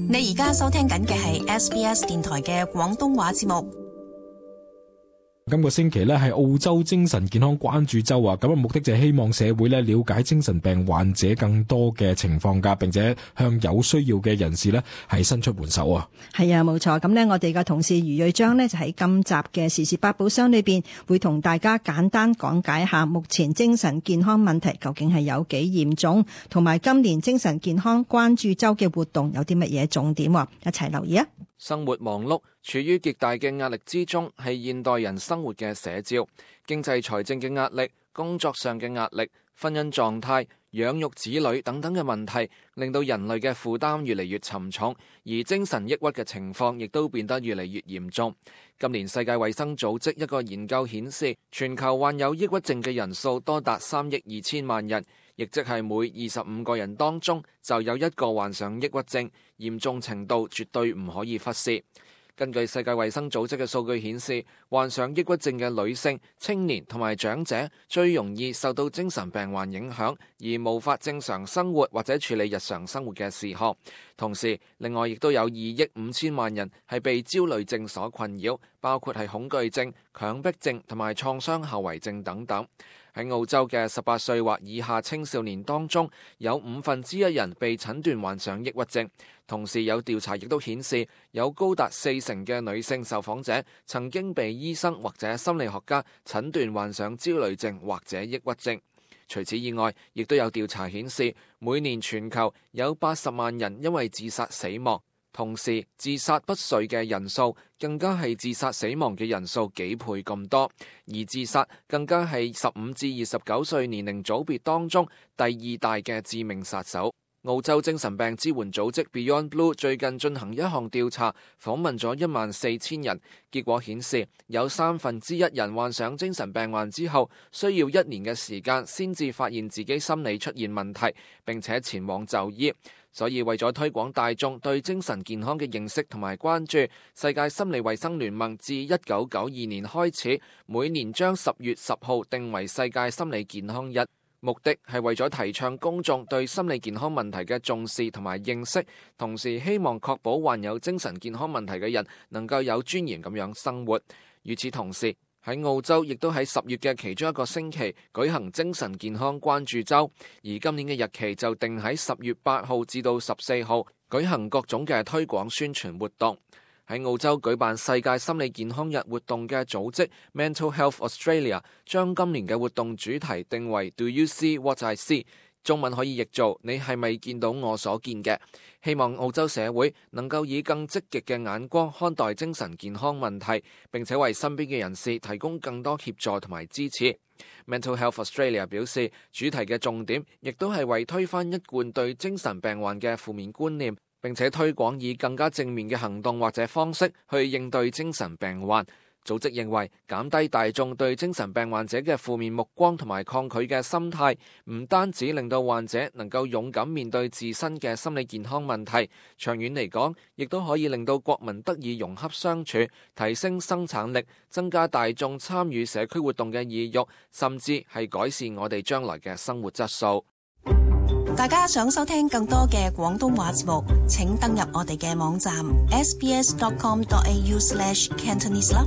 你而家收聽緊嘅係 SBS 電台嘅廣東話節目。今個星期咧係澳洲精神健康關注周啊，咁目的就係希望社會咧了解精神病患者更多嘅情況噶，並且向有需要嘅人士咧係伸出援手啊。係啊，冇錯。咁呢，我哋嘅同事余瑞章呢，就喺今集嘅時事百寶箱裏邊，會同大家簡單講解下目前精神健康問題究竟係有幾嚴重，同埋今年精神健康關注周嘅活動有啲乜嘢重點，一齊留意啊！生活忙碌，處於極大嘅壓力之中，係現代人生活嘅寫照。經濟財政嘅壓力、工作上嘅壓力、婚姻狀態、養育子女等等嘅問題，令到人類嘅負擔越嚟越沉重，而精神抑鬱嘅情況亦都變得越嚟越嚴重。今年世界衛生組織一個研究顯示，全球患有抑鬱症嘅人數多達3億2千萬人，亦即係每25個人當中就有一個患上抑鬱症，嚴重程度絕對唔可以忽視。根據世界衛生組織嘅數據顯示，患上抑鬱症嘅女性、青年同埋長者最容易受到精神病患影響，而無法正常生活或者處理日常生活嘅事項。同時，另外亦都有2億5千萬人係被焦慮症所困擾，包括係恐懼症、強迫症同埋創傷後遺症等等。喺澳洲嘅18歲或以下青少年當中，有1/5人被診斷患上抑鬱症。同時有調查亦都顯示，有高達40%嘅女性受訪者曾經被醫生或者心理學家診斷患上焦慮症或者抑鬱症。除此以外，亦都有調查顯示，每年全球有80萬人因為自殺死亡。同時，自殺不遂嘅人數更加係自殺死亡嘅人數幾倍咁多，而自殺更加係15至29歲年齡組別當中第2大嘅致命殺手。澳洲精神病支援組織 Beyond Blue 最近進行一項調查，訪問咗14000人，結果顯示有1/3人患上精神病患之後，需要1年嘅時間先至發現自己心理出現問題，並且前往就醫。所以為咗推廣大眾對精神健康嘅認識同埋關注，世界心理衛生聯盟自1992年開始，每年將10月10號定為世界心理健康日。目的係為咗提倡公眾對心理健康問題嘅重視同埋認識，同時希望確保患有精神健康問題嘅人能夠有尊嚴咁樣生活。與此同時，喺澳洲亦都喺10月嘅其中一個星期舉行精神健康關注周，而今年嘅日期就定喺10月8號至到14號舉行各種嘅推廣宣傳活動。喺澳洲舉辦世界心理健康日活動嘅組織 Mental Health Australia 將今年嘅活動主題定為 Do You See What I See？ 中文可以譯做你係咪見到我所見嘅？希望澳洲社會能夠以更積極嘅眼光看待精神健康問題，並且為身邊嘅人士提供更多協助同埋支持。Mental Health Australia 表示，主題嘅重點亦都係為推翻一貫對精神病患嘅負面觀念，並且推廣以更加正面嘅行動或者方式去應對精神病患。組織認為，減低大眾對精神病患者嘅負面目光同埋抗拒嘅心態，唔單止令到患者能夠勇敢面對自身嘅心理健康問題，長遠嚟講，亦都可以令到國民得以融洽相處，提升生產力，增加大眾參與社區活動嘅意欲，甚至係改善我哋將來嘅生活質素。大家想收聽更多嘅廣東話節目，請登入我哋嘅網站 sbs.com.au/cantonese 啦。